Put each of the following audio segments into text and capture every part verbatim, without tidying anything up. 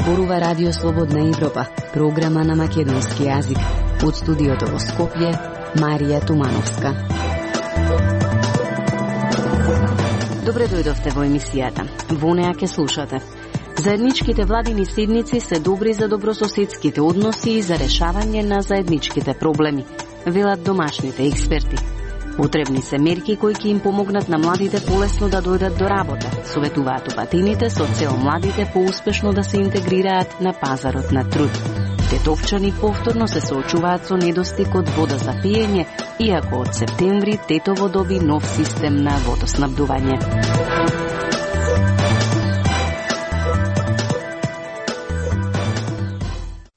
зборува Радио Слободна Европа, програма на македонски јазик. Од студиото во Скопје, Марија Тумановска. Добре дојдовте во емисијата. Во неа ќе слушате. Заедничките владини седници се добри за добрососедските односи и за решавање на заедничките проблеми, велат домашните експерти. Потребни се мерки кои ќе им помогнат на младите полесно да дојдат до работа, советуваат опатините со цел младите поуспешно да се интегрираат на пазарот на труд. Тетовчани повторно се соочуваат со недостиг од вода за пиење, иако од септември Тетово доби нов систем на водоснабдување.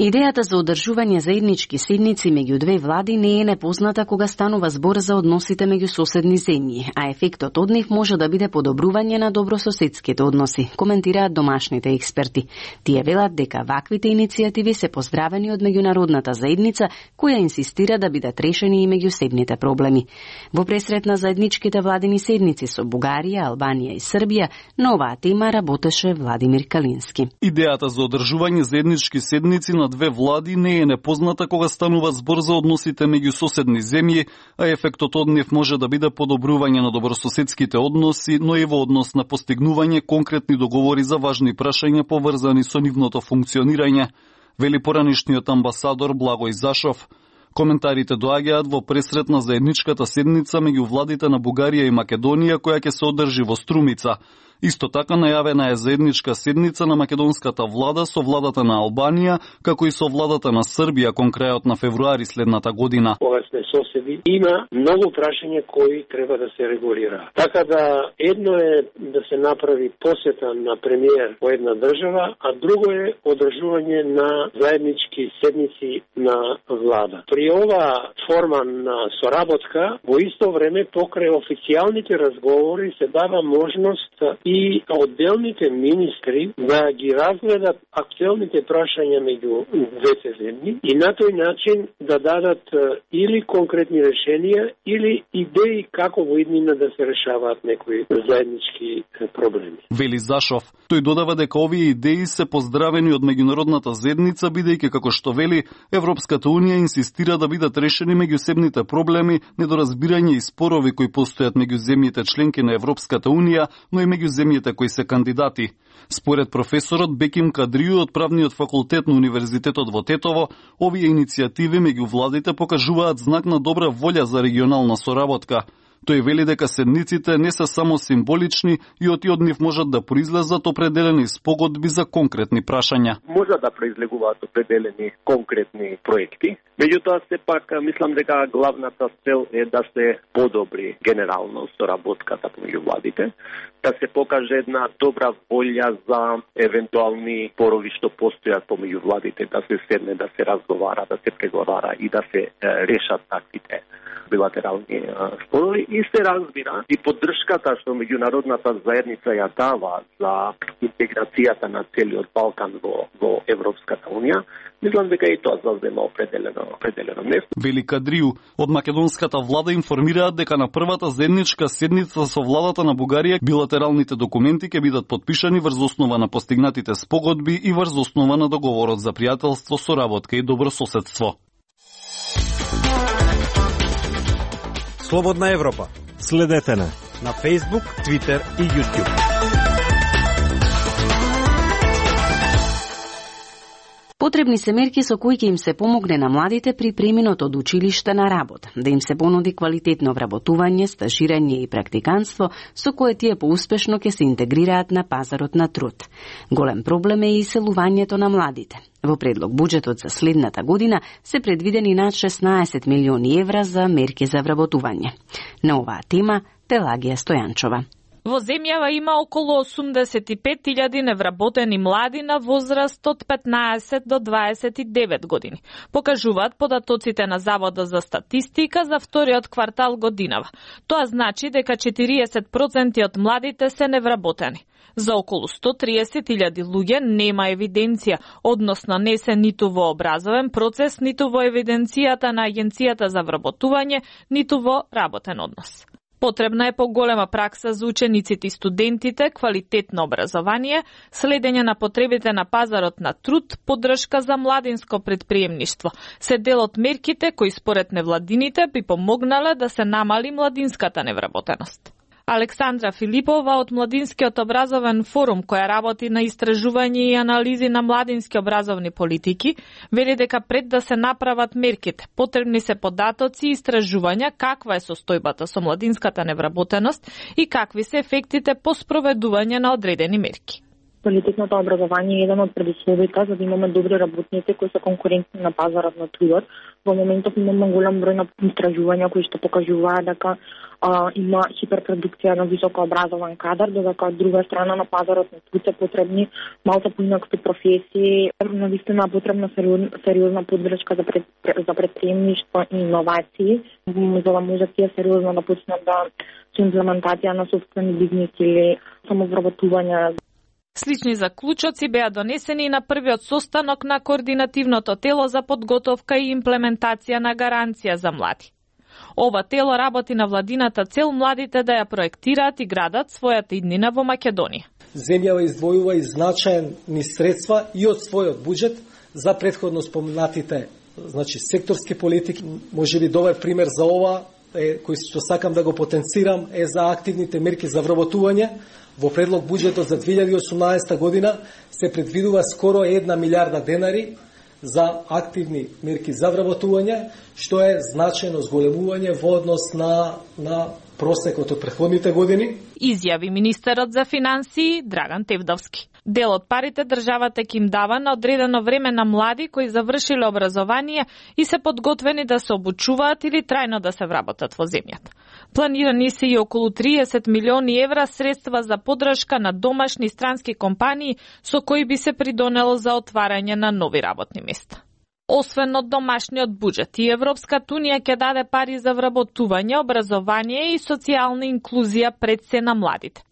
Идејата за одржување заеднички седници меѓу две влади не е непозната кога станува збор за односите меѓу соседни земји, а ефектот од нив може да биде подобрување на добрососедските односи, коментираат домашните експерти. Тие велат дека ваквите иницијативи се поздравени од меѓународната заедница, која инсистира да бидат решени и меѓусебните проблеми. Во пресрет на заедничките владини седници со Бугарија, Албанија и Србија, на оваа тема работеше Владимир Калински. Идејата за одржување заеднички седници на две влади не е непозната кога станува збор за односите меѓу соседни земји, а ефектот од нив може да биде подобрување на добрососедските односи, но и во однос на постигнување конкретни договори за важни прашања поврзани со нивното функционирање, вели поранишниот амбасадор Благој Зашов. Коментарите доаѓаат во пресрет на заедничката седница меѓу владите на Бугарија и Македонија која ќе се одржи во Струмица. Исто така најавена е заедничка седница на македонската влада со владата на Албанија, како и со владата на Србија кон крајот на февруари следната година. Кога сме соседи, има многу прашања кои треба да се регулира. Така да едно е да се направи посета на премиер во една држава, а друго е одржување на заеднички седници на влада. При ова форма на соработка, во исто време покрај официјалните разговори се дава можност и одделните министри да ги разгледат актуелните прашања меѓу двете земји и на тој начин да дадат или конкретни решенија или идеи како во иднина да се решаваат некои заеднички проблеми. Вели Зашов. Тој додава дека овие идеи се поздравени од меѓународната заедница, бидејќи како што вели, Европската унија инсистира да бидат решени меѓусебните проблеми, недоразбирање и спорови кои постојат меѓу земјите членки на Европската унија, но и меѓу земјите кои се кандидати. Според професорот Беким Кадрију од правниот факултет на Универзитетот во Тетово, овие иницијативи меѓу владите покажуваат знак на добра волја за регионална соработка. Тој вели дека седниците не се само символични и оти од нив можат да произлезат определени спогодби за конкретни прашања. Може да произлегуваат определени конкретни проекти, меѓутоа сепак мислам дека главната цел е да се подобри генерално соработката помеѓу владите, да се покаже една добра волја за евентуални спорови што постојат помеѓу владите, да се седне, да се разговара, да се преговара и да се решат таквите билатерални спорови и се разбира и поддршката што меѓународната заедница ја дава за интеграцијата на целиот Балкан во, во Европската унија. Мислам дека и тоа заузема определено, определено место. Вели Кадрију, од македонската влада информираат дека на првата заедничка седница со владата на Бугарија билатералните документи ќе бидат потпишани врз основа на постигнатите спогодби и врз основа на договорот за пријателство, соработка и добрососедство. Слободна Европа. Следете на на Facebook, Twitter и YouTube. Потребни се мерки со кои ќе им се помогне на младите при преминот од училиште на работа, да им се понуди квалитетно вработување, стажирање и практиканство, со кое тие поуспешно ќе се интегрираат на пазарот на труд. Голем проблем е и иселувањето на младите. Во предлог буџетот за следната година се предвидени над шеснаесет милиони евра за мерки за вработување. На оваа тема Пелагија Стојанчова. Во земјава има околу осумдесет и пет илјади невработени млади на возраст од петнаесет до дваесет и девет години. Покажуваат податоците на Заводот за статистика за вториот квартал годинава. Тоа значи дека четириесет проценти од младите се невработени. За околу сто триесет илјади луѓе нема евиденција, односно не се ниту во образовен процес, ниту во евиденцијата на Агенцијата за вработување, ниту во работен однос. Потребна е поголема пракса за учениците и студентите, квалитетно образование, следење на потребите на пазарот на труд, поддршка за младинско предприемништво. Се дел од мерките кои според невладините би помогнале да се намали младинската невработеност. Александра Филипова од Младинскиот образовен форум, која работи на истражување и анализи на младински образовни политики, вели дека пред да се направат мерките, потребни се податоци и истражувања каква е состојбата со младинската невработеност и какви се ефектите по спроведување на одредени мерки. Квалитетното образование е еден од предусловите за да имаме добри работници кои се конкурентни на пазарот на трудот. Во моментов имаме голем број на истражувања кои што покажуваат дека а, има хиперпродукција на високо образован кадар, додека од друга страна на пазарот на труд се потребни малку поинакви професии, навистина потребна сериозна поддршка за пред, за предприемништво и иновации, за да можат тие сериозно да почнат да со имплементација на собствени бизнис или самовработување. Слични заклучоци беа донесени и на првиот состанок на координативното тело за подготовка и имплементација на гаранција за млади. Ова тело работи на владината цел младите да ја проектираат и градат својата иднина во Македонија. Земјава издвојува и значајни средства и од својот буџет за претходно спомнатите, значи секторски политики. Можеби добар пример за ова е, кој што сакам да го потенцирам, е за активните мерки за вработување. Во предлог буџетот за две илјади и осумнаесета година се предвидува скоро една милиарда денари за активни мерки за вработување, што е значајно зголемување во однос на, на просекот од претходните години. Изјави министерот за финансии Драган Тевдовски. Дел од парите државата ќе им дава на одредено време на млади кои завршиле образование и се подготвени да се обучуваат или трајно да се вработат во земјата. Планирани се и околу триесет милиони евра средства за поддршка на домашни и странски компании со кои би се придонело за отварање на нови работни места. Освен од домашниот буџет, и Европската унија ќе даде пари за вработување, образование и социјална инклузија пред се на младите.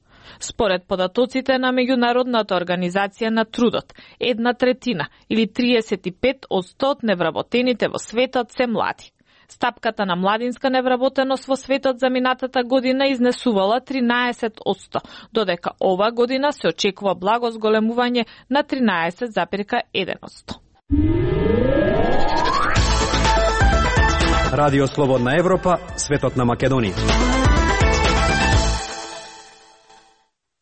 Според податоците на Меѓународната организација на трудот, една третина или триесет и пет одсто од невработените во светот се млади. Стапката на младинска невработеност во светот за минатата година изнесувала тринаесет одсто, додека ова година се очекува благо зголемување на тринаесет зарез еден одсто. Радио Слободна Европа, светот на Македонија.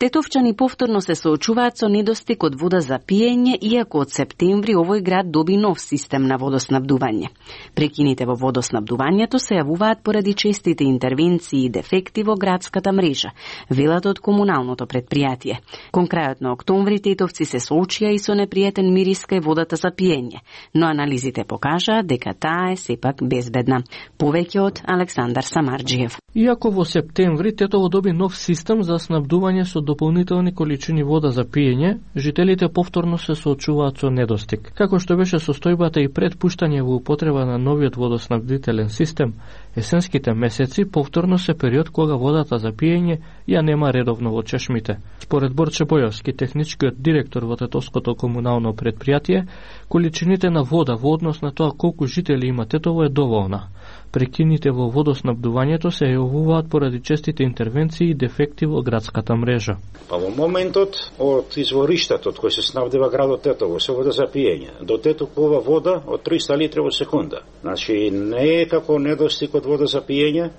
Тетовчани повторно се соочуваат со недостиг од вода за пиење, иако од септември овој град доби нов систем на водоснабдување. Прекините во водоснабдувањето се јавуваат поради честите интервенции и дефекти во градската мрежа, велат од комуналното предпријатие. Кон крајот на октомври тетовци се соочија и со непријатен мирис кај водата за пиење, но анализите покажаа дека таа е сепак безбедна. Повеќе од Александар Самарџиев. Иако во септември Тетово доби нов систем за снабдување со дополнителни количини вода за пиење, жителите повторно се соочуваат со недостиг. Како што беше состојбата и пред пуштање во употреба на новиот водоснабдителен систем, есенските месеци повторно се период кога водата за пиење ја нема редовно во чешмите. Според Борче Бојовски, техничкиот директор во Тетовското комунално предпријатие, количините на вода во однос на тоа колку жители има Тетово е доволна. Прекините во водоснабдувањето се јавуваат поради честите интервенции и дефекти во градската мрежа. Па во моментот од извориштето од кој се снабдива градот Тетово со вода за пиење, до Тетокова вода од триста литри во секунда. Значи не е како недостиг од вода за пиење.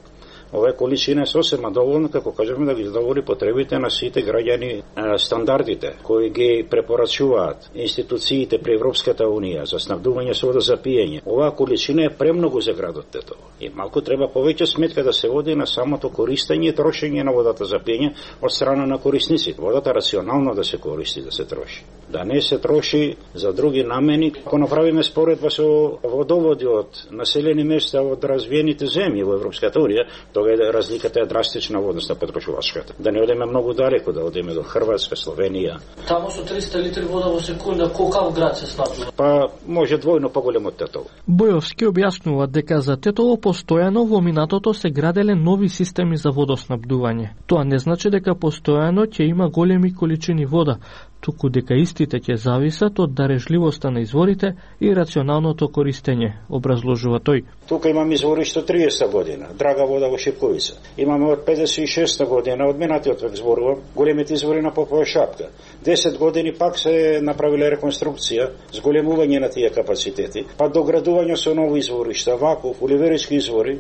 Ова количина е сосема доволна, како кажеме, да ги задоволи потребите на сите граѓани. Стандардите кои ги препорачуваат институциите при Европската унија за снабдување со вода за пиење, оваа количина е премногу за градот Тетово. И малку треба повеќе сметка да се води на самото користење и трошење на водата за пиење од страна на корисниците. Водата рационално да се користи, да се троши. Да не се троши за други намени. Ако направиме споредба со водоводи од населени места од развиените земји во Европската унија, тога е разликата е драстична во однос на потрошувачката. Да не одеме многу далеко, да одеме до Хрватска, Словенија. Таму со триста литри вода во секунда, колкав град се снабдува? Па може двојно поголем од Тетово. Бојовски објаснува дека за Тетово постојано во минатото се граделе нови системи за водоснабдување. Тоа не значи дека постојано ќе има големи количини вода, туку дека истите ќе зависат од дарежливоста на изворите и рационалното користење, образложува тој. Тука имаме извориште триесет година, драга вода во Шипковица. Имаме од педесет и шеста година, од минатиот век зборувам, големите извори на Попова шапка. десет години пак се направиле реконструкција, зголемување на тие капацитети, па доградување со нови изворишта, Ваков, Оливерички извори.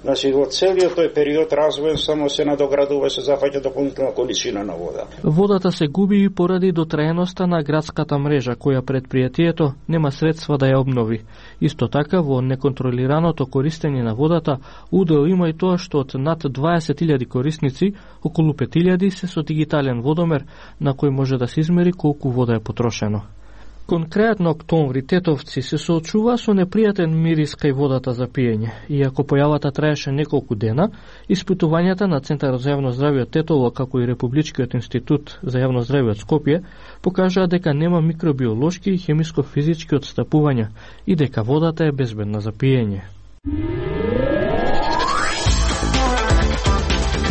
Значи, во целиот тој период развоен само се надоградува, се зафаќа дополнителна количина на вода. Водата се губи и поради дотраеноста на градската мрежа, која предпријатието нема средства да ја обнови. Исто така, во неконтролираното користење на водата, удел има и тоа што од над дваесет илјади корисници, околу пет илјади се со дигитален водомер, на кој може да се измери колку вода е потрошено. Кон крајот на октомври тетовци се соочува со непријатен мирис кај водата за пиење. Иако појавата траеше неколку дена, испитувањата на Центарот за јавно здравје од Тетово, како и Републичкиот институт за јавно здравје од Скопје, покажаа дека нема микробиолошки и хемиско-физички отстапувања и дека водата е безбедна за пиење.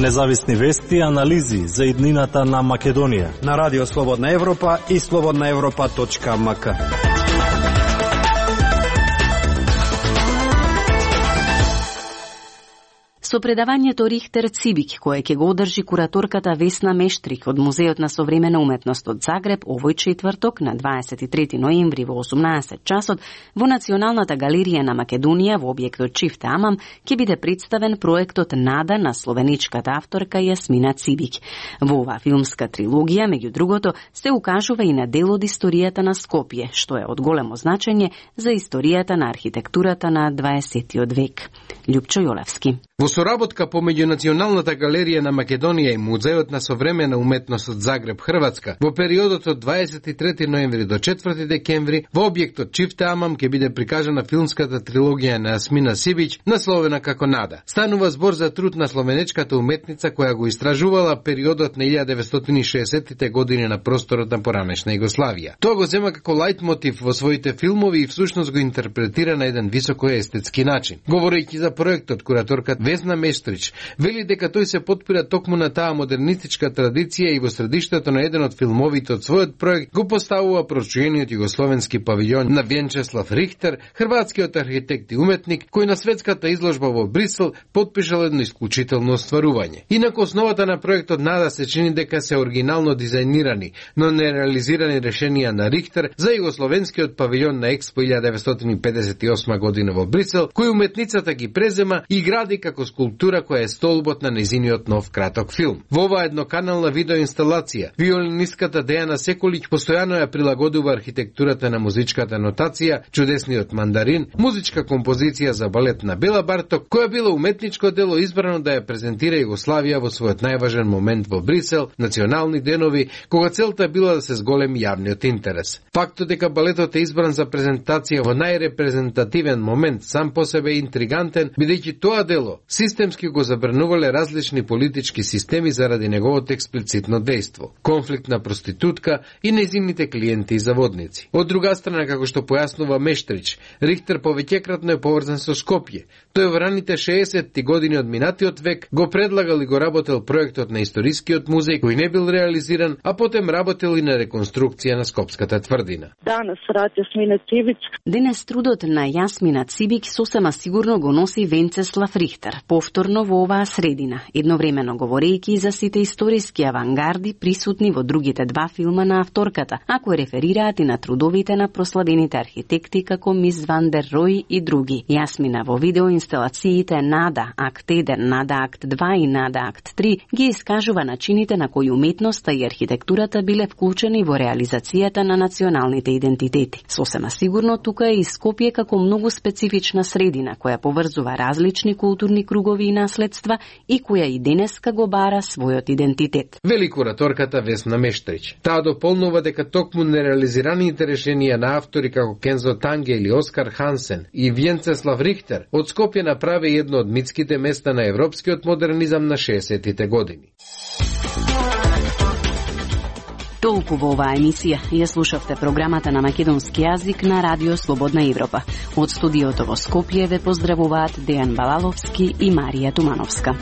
Независни вести и анализи за иднината на Македонија на Радио Слободна Европа и слободна европа точка ем ка. Со предавањето Рихтер Цибик, кое ќе го одржи кураторката Весна Мештрик од Музеот на современа уметност од Загреб овој четврток на дваесет и трети ноември во осумнаесет часот во Националната галерија на Македонија во објектот Чифте Амам ќе биде представен проектот Нада на словеничката авторка Јасмина Цибик. Во оваа филмска трилогија, меѓу другото, се укажува и на дел од историјата на Скопје, што е од големо значење за историјата на архитектурата на дваесеттиот век. Љупчо Јолевски. Во соработка помеѓу Националната галерија на Македонија и Музеот на современа уметност од Загреб, Хрватска, во периодот од дваесет и трети ноември до четврти декември, во објектот Чифте Амам ќе биде прикажана филмската трилогија на Јасмина Цибик, насловена како Нада. Станува збор за труд на словенечката уметница која го истражувала периодот на илјада деветстотини и шеесеттите години на просторот на поранешна Југославија. Тоа го зема како лајтмотив во своите филмови и всушност го интерпретира на еден високо естетски начин. Говорејќи за проектот, кураторката Весна Мештрич вели дека тој се потпира токму на таа модернистичка традиција и во средиштето на еден од филмовите од својот проект го поставува прочуениот југословенски павилјон на Венчеслав Рихтер, хрватскиот архитект и уметник, кој на светската изложба во Брисел потпишал едно исклучително остварување. Инаку основата на проектот Нада се чини дека се оригинално дизајнирани, но нереализирани решенија на Рихтер за југословенскиот павилјон на Експо илјада деветстотини педесет и осма година во Брисел, кој уметницата ги презема и гради како скулптура која е столбот на незиниот нов краток филм. Во оваа едноканална видеоинсталација, виолинистката Дејана Секолиќ постојано ја прилагодува архитектурата на музичката нотација Чудесниот мандарин, музичка композиција за балет на Бела Барток, која била уметничко дело избрано да ја презентира Југославија во својот најважен момент во Брисел, национални денови, кога целта била да се зголеми јавниот интерес. Фактот дека балетот е избран за презентација во најрепрезентативен момент сам по себе е интригантен, бидејќи тоа дело системски го забранувале различни политички системи заради неговото експлицитно дејство, конфликт на проститутка и незините клиенти и заводници. Од друга страна, како што појаснува Мештрич, Рихтер повеќекратно е поврзан со Скопје. Тој во раните шеесетти години од минатиот век го предлагал и го работел проектот на историскиот музеј кој не бил реализиран, а потем работел и на реконструкција на Скопската тврдина. Данас рад Јасмина Цибик. Денес трудот на Јасмина Цибик сосема сигурно го носи Венцеслав Рихтер, повторно во оваа средина, едновремено говорејќи за сите историски авангарди присутни во другите два филма на авторката, а кои реферираат и на трудовите на прославените архитекти како Мис Ван дер Рој и други. Јасмина во видеоинсталациите Нада акт еден, Нада акт два и Нада акт три ги искажува начините на кои уметноста и архитектурата биле вклучени во реализацијата на националните идентитети. Сосема сигурно тука е и Скопје како многу специфична средина која поврзува различни културни кругови и наследства и која и денеска го бара својот идентитет. Вели кураторката Весна Мештрич. Таа дополнува дека токму нереализираните решенија на автори како Кензо Танге или Оскар Хансен и Венцеслав Рихтер од Скопје направи едно од митските места на европскиот модернизам на шеесеттите години. Толку во оваа емисија. Ја слушавте програмата на македонски јазик на Радио Слободна Европа. Од студиото во Скопје ве поздравуваат Дејан Балаловски и Марија Тумановска.